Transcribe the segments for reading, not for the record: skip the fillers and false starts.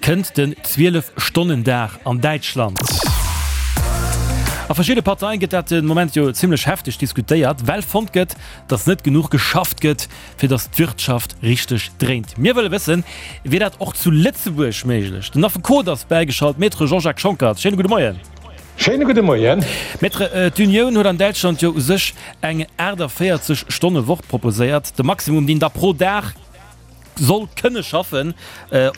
Kënnt den 12 Stonnen Dag an Däitschland? A verschidde Parteien gëtt dat den Moment jo zimmlech hefteg diskutéiert, well fonnt gëtt, datt net genuch geschafft gëtt, fir datt d'Wirtschaft richteg dréint. Mir wëlle wëssen, wier dat och zu Lëtzebuerg méiglech? Den Affekot ass bäigeschalt, Maître Jean-Jacques Schonckert. Schéine gudde Moien. Schéine gudde Moien. Maître, d'Unioun huet an Däitschland jo u sech eng 48 Stonne Woch proposéiert, de Maximum deen da pro Dag soll kënne schaffen,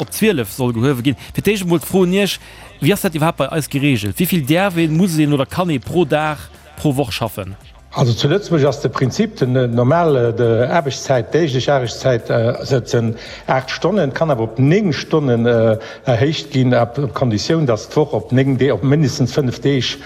op 12 soll gehuewe ginn. Fir d'éischt emol d'Fro un Iech, Wéi ass dat iwwerhaapt bei eis gereegelt? Wéi vill däerf een, muss een oder kann ee pro Dag, pro Woch schaffen? Also zu Lëtzebuerg ass de Prinzip, den normal Aarbechtszäit, déiglech Aarbechtszäit sënn 8 Stonnen, kann awer op 9 Stonnen erhéicht ginn, op Konditioun, datt d'Woch op 9 Deeg, op mindestens 5 Deeg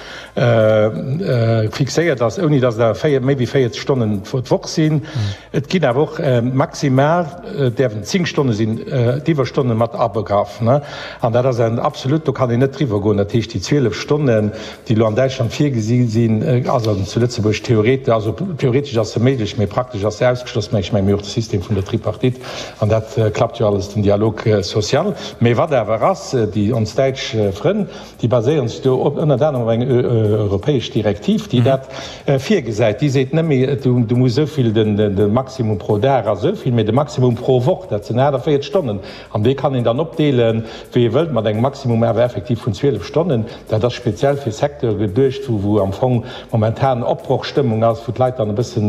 fixéiert ass, ouni datt et awer méi wéi 40 Stonnen d'Woch sinn. Et ginn awer och maximal däerfen 10 Stonne sinn, d'Iwwerstonne mat abegraff. An dat ass en absolut, do kann een net driwwer goen. Dat heescht, déi 12 Stonnen, déi elo an Däitschland virgesi sinn, ass an zu Lëtzebuerg theorete, also theoretesch ass se méiglech, mee praktesch ass se ausgeschloss. Mä ech menge mir hu och de System vun der Tripartite an dat klappt jo alles, den Dialogue social. Mee wat awer ass, déi ons däitsch Frënn, Déi baséieren sech do op ënnert anerem op eng europäesch Direktiv, déi dat virgesäit. Déi seet net méi, du muss esou vill, de Maximum pro Dag ass esou vill, mee de Maximum pro Woch, dat sinn 48 Stonnen. An dee kann een dann opdeelen, wéi ee wëllt, mat engem Maximum awer effektiv vun 12 Stonnen. Dat ass speziell fir Secteure geduecht, wou am Fong momentan Opbrochstëmmung ass, wou d'Leit dann e bësse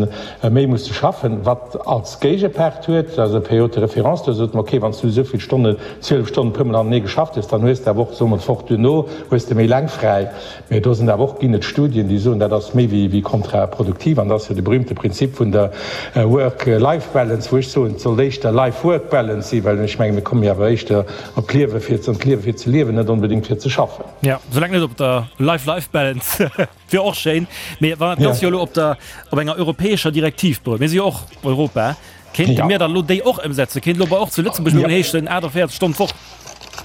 méi musse schaffen. Wat als Géigepart huet, dat ass e Période de référence, do sot mer, okay, wann s du esou vill Stonnen, 12 Stonnen puer mol hanenee geschafft hues, dann hues de awer och, soe mer, d'Woch duerno hues de méi laang fräi. Mee do sinn awer och, ginn et Studien, déi soen, dat ass méi wéi kontraproduktiv. An dat ass jo de berühmte Prinzip vun der Work-Life-Balance, wou ech soen, et sollt éischter Life-Work-Balance sinn, well ech menge mir komme jo awer éischter op d'Liewe fir, an d'Liewe fir ze liewen, net onbedéngt fir ze schaffen. Jo, soulaang net op der Life-Life-Balance. Wier och schéin, mee wann dat Ganzt jo elo op der, op enger europäescher Direktiv berout, mir si jo och Europa, kéinte mir dann elo déi och ëmsetzen? Kéint elo bei och zu Lëtzebuerg elo heeschen 48 Stonnen d'Woch?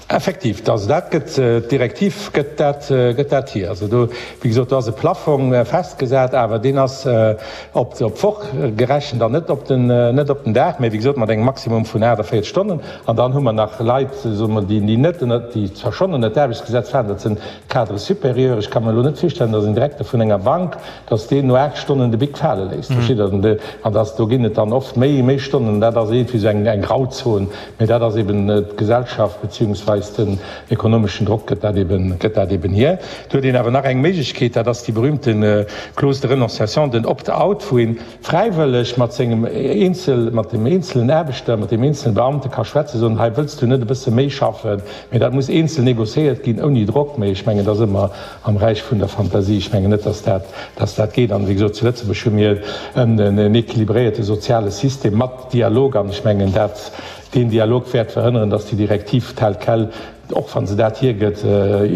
Effektiv, also dat gëtt, d'Direktiv gëtt dat, gëtt dat hier. Also do, wéi gesot, do ass e Plaffong festgesat, awer deen ass op, op d'Woch gerechent an net op den, net op den Dag, mee wéi gesot mat engem Maximum vun 48 Stonnen. An dann hu mer nach Leit, soe mer, déi, déi net ënner, déi zwar schonn ënner d'Aarbechtsgesetz falen, dat sinn Cadre supérieur, ech ka mer elo net virstellen, datt en Direkter vun enger Bank, datt deen no 8 Stonnen de Bic fale léisst, versteet Der? An datt, do ginn et dann oft méi, méi Stonnen, dat ass iergendwéi esou eng, eng Grauzon, mä dat ass eben d'Gesellschaft beziehungsweis den ekonomeschen Drock gëtt dat eben, gëtt dat eben hier. Do huet een awer nach eng Méiglechkeet, dat ass déi berühmte Clause de renonciation, den Opt-out, wou een fräiwëlleg mat sengem eenzel, mat dem eenzelen Aarbechter, mat dem eenzelen Beamte ka schwätzen, soen, hei wëlls du net e bësse méi schaffen, mee dat muss eenzel négociéiert ginn, ouni Drock. Mee ech mengen, dat ass ëmmer am Räich vun der Fantasie. Ech mengen net, dass dat, dass dat geet. An, wéi gesot, zu Lëtzebuerg hu mir en équilibréierte soziale System mat Dialog an ech mengen, dat, deen Dialog wäert verhënneren, dass déi Direktiv tel quel, och wa se dat hiergëtt,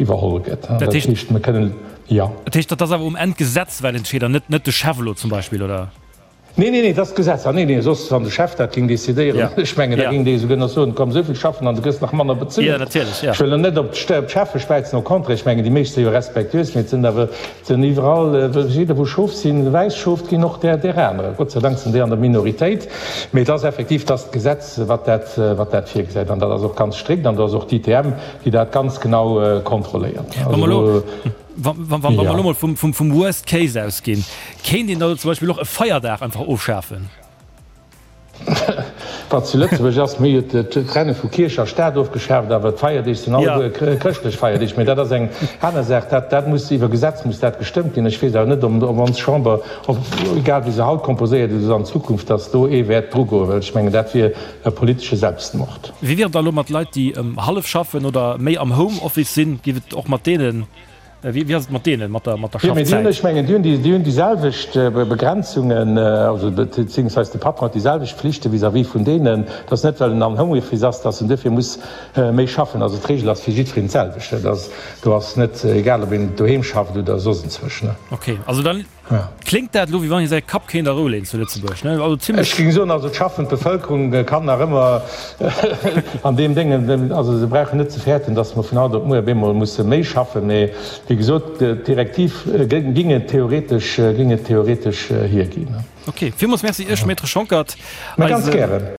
iwwerholl gëtt. Dat heescht, mir kënnen. Jo. Dat heescht, dat ass awer um Enn d'Gesetz wat entscheet an net net de Chef elo zum Beispill, oder? Nee, nee, nee, dat ass d'Gesetz. Ah, nee, nee, soss, wann de Chef dat géing decidéieren, ech mengen, da géing dee esouguer nach soen, komm, esou vill schaffen an du gëss nach manner bezuelt. Jo, natierlech, jo. Ech wëll elo net op d'Cheffe späizen, au contraire, ech mengen, déi meescht si jo respektuös, mee et sinn awer, et sinn iwwerall, jidder wou Schof sinn, wäiss Schof, et ginn och där, där anerer. Gott sei Dank sinn déi an der Minoritéit. Mee et ass effektiv, et ass d'Gesetz, wat dat, wat dat virgesäit. An dat ass och ganz strikt an do ass och d'ITM, déi dat ganz genau kontrolléiert. Wa mer elo, wa mer elo mol vum Worst Case ausginn, kéint een da zum Beispill och e Feierdag einfach ofschafen? Wat zu Lëtzebuerg ass, mir hu jo d'Trennung vu Kierch a Staat ofgeschaaft, awer d'Feierdeeg sinn alleguer chrëschtlech Feierdeeg. Mee dat ass eng aner Saach. Dat, dat muss iwwer Gesetz muss dat gestëmmt ginn. Ech weess awer net, ob ons Chamber, ob, egal wéi se haut komposéiert ass an Zukunft, datt do ee wäert drugoen, well ech mengen, dat wier e politesche Selbstmord. Wéi wier et da elo mat Leit, déi hallef schaffen oder méi am Home Office sinn? Géif et och mat deenen, wéi ass et mat deenen, mat der mat der Jo, mee déi hunn, ech mengen, déi hunn déi, déi hunn déi selwecht Begrenzungen, also beziehungsweise de Patron huet déi selwecht Flichte vis-à-vis vun deenen. Et ass net, well en am Home Office ass, datt en duerfir muss méi schaffen. Also d'Regel ass fir jiddwereen d'selwecht. Dat ass, do ass net egal, ob een doheem schafft oder soss enzwousch. Okay, also dann. Kléngt dat elo, wéi wann ee säi Kapp kéint a Rou leeën zu Lëtzebuerg, ne? Also zimlech. Ech géing soen, also d'schaffend Bevëlkerung kann nach ëmmer an deem Déngen, also se brauchen net ze fäerten, datt mer vun haut op muer op eemol musse méi schaffen. Mee wéi gesot, d'Direktiv géing et theoretesch, géing et theoretesch hierginn. Ok, villmools Merci Iech, Maître Schonckert. Mä ganz gären.